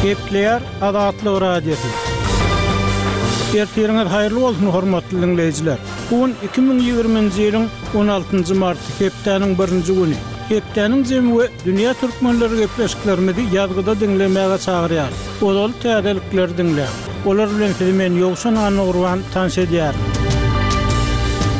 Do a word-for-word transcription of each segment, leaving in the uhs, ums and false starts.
Gepleýär Azatlyk Radiosy. Ertiriňiz haýyrly bolsun, hormatly diňleýjiler. Bu gün iki müň ýigriminji ýylyň on altynjy marty, hepdäniň birinji güni. Hepdäniň jemi we dünýä türkmenleri gepleşiklerimizi ýazgyda diňlemäge çagyrýar. Ozal täzelikleri diňläň. Olar bilen sizi men Ýowşan Annagurban tanyş edýärin.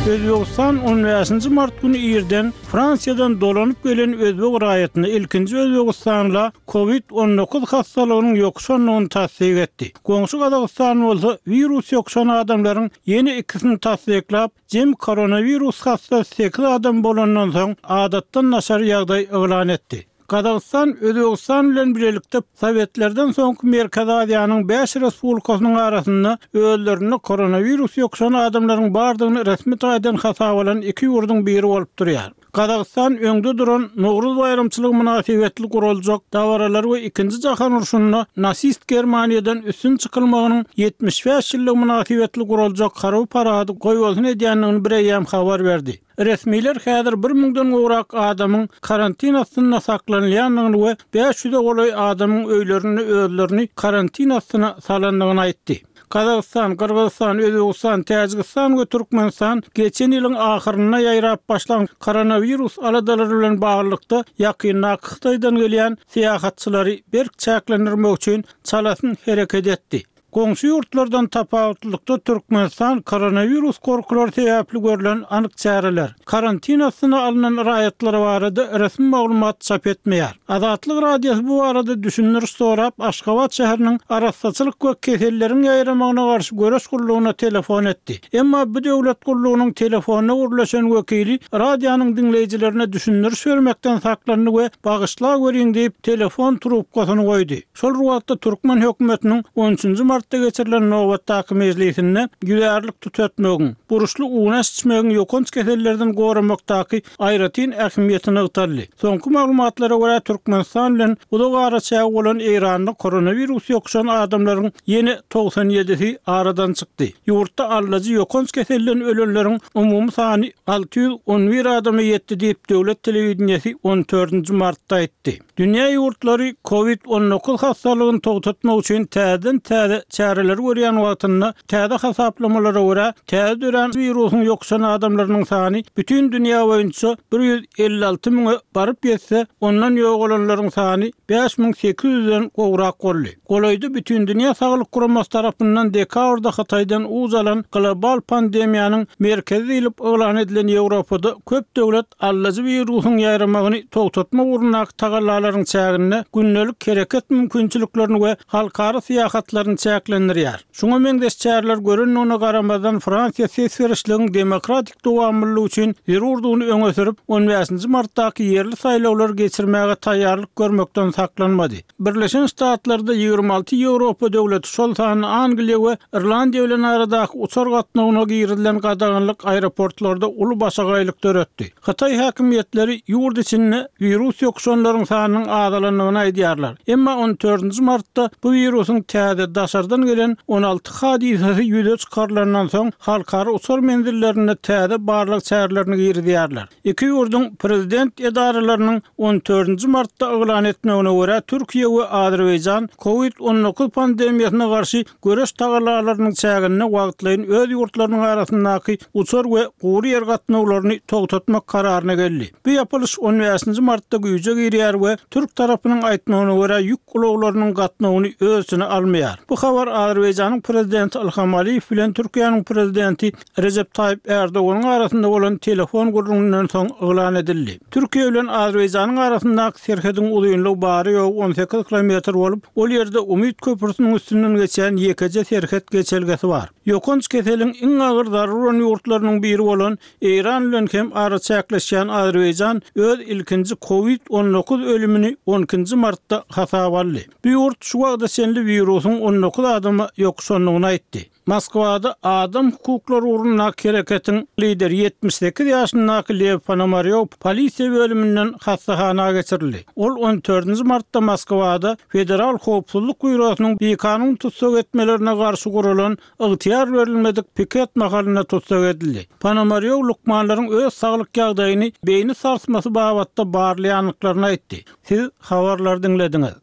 Özbegistan on bäşinji mart güni irden Fransiýadan dolanyp gelen özbek raýatyna ilkinji Özbegistanla Covid on dokuz hastalygynyň ýokuşandygyny tassyk etdi. Goňşy Gazagystan bolsa wirus ýokuşan adamlaryň ýene ikisini tassyklap, jem koronawirus hassasy sekiz adam bolandan soň adatdan daşary ýagdaý yglan etdi. Gazagystan Özbegistan bilen birlikde Sowetlerden soňky Merkezi Aziýanyň bäş respublikasynyň arasynda özlerinde koronawirus ýokuşan adamlaryň bardygyny resmi taýdan hasap alan iki ýurduň biri bolup durýar. Gazagystan öňde duran Nowruz baýramçylygy mynasybetli guraljak dabaralar we ikinji jahan urşunda nasist Germaniýadan üstün çykylmagynyň ýetmiş bäş ýyllygy mynasybetli guraljak harby parady goýbolsun edýändigini bir eýýäm habar berdi. Resmiler häzir bir müňden gowrak adamyň karantin astynda saklanylýandygyny we bäş ýüze golaý adamyň öýlerinde özlerini karantin astyna salandygyny aýtdy. Gazagystan, Gyrgyzystan, Özbegistan, Täjigistan we Türkmenistan geçen ýylyň ahyrynda ýaýrap başlan koronawirus aladalary bilen baglylykda ýakyndaky Hytaýdan gelýän syýahatçylary berk çäklendirmek üçin çalasyn hereket etdi. Goňşy ýurtlardan tapawutlylykda Türkmenistan koronawirus korkulary sebäpli görlen anyk çäreler, karantin astyna alnan raýatlar barada resmi maglumat çap etmeýär. Azatlyk Radiosy bu barada düşündiriş sorap Aşgabat şäheriniň arassaçylyk we keselleriň ýaýramagyna garşy göreş gullugyna telefon etdi. Emma bu döwlet gullugynyň telefonyna gürleşen wekili radionyň diňleýjilerine düşündiriş bermekden saklandy we bagyşla görüň diýip telefon trubkasyny goýdy. Şol wagtda Türkmen hökümetiniň on üçünji martda geçirilen nobatdaky mejlisinde ýüzärlik tutatmagyň, buruşly unaş içmegiň ýokanç kesellerden goramakdaky aýratyn ähmiýetini nygtaldy. Soňky maglumatlara görä Türkmenistan bilen uzak araçägi bolan Eýranda koronawirus ýokuşan adamlaryň ýene togsan ýedisi aradan çykdy. Ýurtda allajy ýokanç keselden ölenleriň umumy sany alty ýüz on bir adama ýetdi diýip döwlet telewideniýesi on dördünji martda aýtdy. Dünýä ýurtlary Covid on dokuz hastalygyny togtatmak üçin täzeden täze çäreler görýän wagtynda täze hasaplamalara görä täze dörän wirusyň ýokuşan adamlarynyň sany bütün dünýä boýunça bir ýüz elli alty müňe baryp ýetse, ondan ýogalanlaryň sany bäş müň sekiz ýüzden gowrak boldy. Golaýda bütün dünýä saglyk guramasy tarapyndan dekabrda Hytaýdan uç alan global pandemiýanyň merkezi diýlip yglan edilen Ýewropada köp döwlet allajy wirusyň ýaýramagyny togtatmak ugrundaky tagallalaryň çäginde gündelik hereket mümkinçiliklerini we halkara syýahatlaryny çäklendirýär. Şuňa meňzeş çäreler göründigine garamazdan Fransiýa ses berişligiň demokratik dowamlylygy üçin zerurdygyny öňe sürüp, on bäşinji martdaky ýerli saýlawlary geçirmäge taýýarlyk görmekden saklanmady. Birleşen Ştatlarda ýigrimi alty Ýewropa döwleti, şol sanda Angliýa we Irlandiýa bilen aradaky uçar gatnawyna girizilen gadaganlyk aeroportlarda uly başagaýlyk döretdi. Hytaý häkimiýetleri ýurt içinde wirus ýokuşanlaryň sanynyň azalandygyny aýdýarlar. Emma on dördünji martda bu wirusyň täze daşardan gelen on alty hadysasy ýüze çykarylandan soň halkara uçar menzillerinde täze barlag çärelerini girizýärler. Iki ýurduň prezident edaralarynyň on dördünji martda yglan etmegine görä Türkiýe we Azerbaýjan Covid on dokuz pandemiýasyna garşy göreş tagallalarynyň çäginde wagtlaýyn öz ýurtlarynyň arasyndaky uçar we gury ýer gatnawlaryny togtatmak kararyna geldi. Bu ýapylyş on bäşinji martda güýje girýär we Türk tarapynyň aýtmagyna görä ýük ulaglarynyň gatnawyny öz içine almaýar. Bu habar Azerbaýjanyň prezidenti Ilham Aliýew bilen Türkiýäniň prezidenti Recep Tayyip Erdoganyň arasynda bolan telefon gürrüňinden soň yglan edildi. Türkiýe bilen Azerbaýjanyň arasyndaky serhediň uzynlygy bary ýogy on sekiz kilometr bolup, ol ýerde Umyt köprüsiniň üstünden geçýän ýekeje serhet geçelgesi bar. Ýokanç keseliň iň agyr zarur bolan ýurtlarynyň biri bolan Eýran bilen hem araçäkleşýän Azerbaýjan öz ilkinji Covid on dokuz ölümini on ikinji martda hasaba aldy. Bu ýurt şu wagta çenli wirusyň on dokuz adama ýokuşandygyny aýtdy. Moskwada adam hukuklary ugrundaky hereketiň lideri ýetmiş sekiz ýaşyndaky Lew Ponomarýow polisiýa bölüminden hassahana geçirildi. Ol on dördünji martda Moskwada Federal howpsuzlyk býurosynyň bikanun tussag etmelerine garşy guralan ygtyýar berilmedik piket mahalynda tussag edildi. Ponomarýow lukmanlaryň öz saglyk ýagdaýyny beýni sarsmasy babatda barlaýandyklaryny aýtdy. Siz habarlary diňlediňiz.